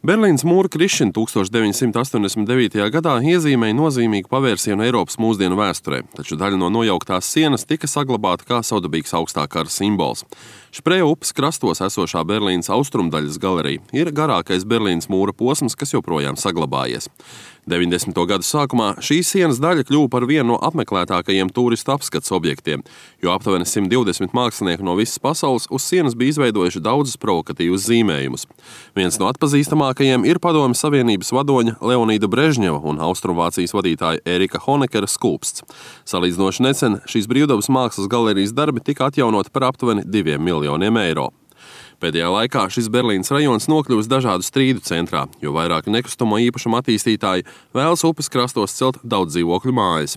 Berlīnes mūra krišana 1989. gadā iezīmēja nozīmīgu pavērsienu Eiropas mūsdienu vēsturē, taču daļa no nojauktās sienas tika saglabāta kā savdabīgs augstā kara simbols. Špreja upes krastos esošā Berlīnes austrumdaļas galerija ir garākais Berlīnes mūra posms, kas joprojām saglabājies. 90. gadu sākumā šī sienas daļa kļuva par vienu no apmeklētākajiem turistu apskats objektiem, jo aptuveni 120 mākslinieki no visas pasaules uz sienas bija izveidojuši daudzus provokatīvus zīmējumus. Viens no atpazīstamākajiem ir Padomju Savienības vadoņa Leonīda Brežņeva un Austrumvācijas vadītāja Erika Honekera skulpsts. Salīdzinoši nesen šīs brīvdabas mākslas galerijas darbi tika atjaunoti par aptuveni 2 miljoniem eiro. Pēdējā laikā šis Berlīnes rajons nokļuvis dažādu strīdu centrā, jo vairāki nekustamo īpašumu attīstītāji vēlas upes krastos celt daudz dzīvokļu mājas.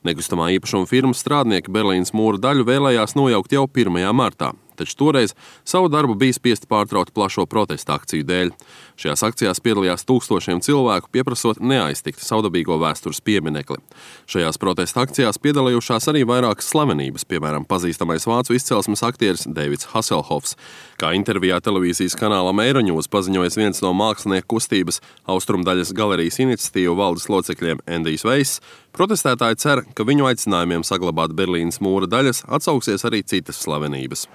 Nekustamā īpašuma firmas strādnieki Berlīnes mūra daļu vēlējās nojaukt jau 1. martā. Taču toreiz savu darbu bija spiesti pārtraukt plašo protesta akciju dēļ. Šajās akcijās piedalījās tūkstošiem cilvēku, pieprasot neaiztikt savdabīgo vēstures pieminekli. Šajās protesta akcijās piedalījušās arī vairākas slavenības, piemēram, pazīstamais vācu izcelsmes aktieris Davids Hasselhoffs. Kā intervijā televīzijas kanālam Euronews paziņojas viens no mākslinieku kustības Austrumdaļas galerijas iniciatīvu valdes locekļiem Endijs Veiss, protestētāji cer, ka viņu aicinājumiem saglabāt Berlīnes mūra daļas atsauksies arī citas slavenības.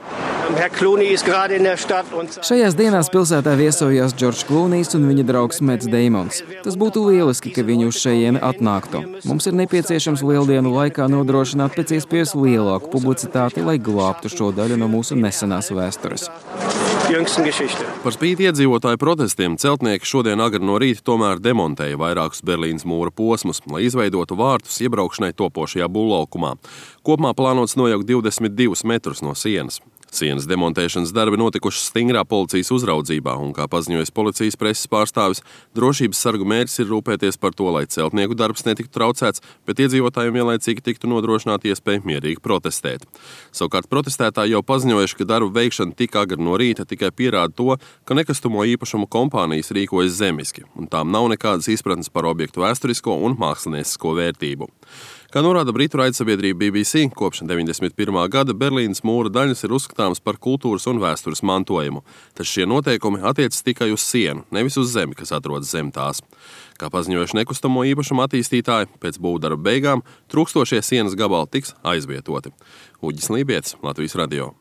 Šajās dienās pilsētā viesojās Džordžs Klūnijs un viņa draugs Mets Deimons. Tas būtu lieliski, ka viņi uz šejieni atnāktu. Mums ir nepieciešams lieldienu laikā nodrošināt pēc iespējas lielāku publicitāti, lai glābtu šo daļu no mūsu nesenās vēstures. Par spīti iedzīvotāju protestiem celtnieki šodien agri no rīta tomēr demontēja vairākus Berlīnes mūra posmus, lai izveidotu vārtus iebraukšanai topošajā būvlaukumā. Kopumā plānots nojaukt 22 metrus no sienas. Sienas demontēšanas darbi notikuši stingrā policijas uzraudzībā, un, kā paziņojas policijas preses pārstāvis, drošības sargu mērķis ir rūpēties par to, lai celtnieku darbs netiktu traucēts, bet iedzīvotājiem vienlaicīgi tiktu nodrošināta iespēja mierīgi protestēt. Savukārt protestētāji jau paziņojuši, ka darbu veikšana tik agri no rīta tikai pierāda to, ka nekustamo īpašumu kompānijas rīkojas zemiski, un tām nav nekādas izpratnes par objektu vēsturisko un māksliniecisko vērtību. Kā norāda britu raidsabiedrība BBC, kopš 91. gada Berlīnes mūra daļas ir uzskatāmas par kultūras un vēstures mantojumu, taču šie noteikumi attiecas tikai uz sienu, nevis uz zemi, kas atrodas zem tās. Kā paziņojuši nekustamo īpašumu attīstītāji, pēc būvdarba beigām trūkstošie sienas gabali tiks aizvietoti. Uģis Lībietis, Latvijas radio.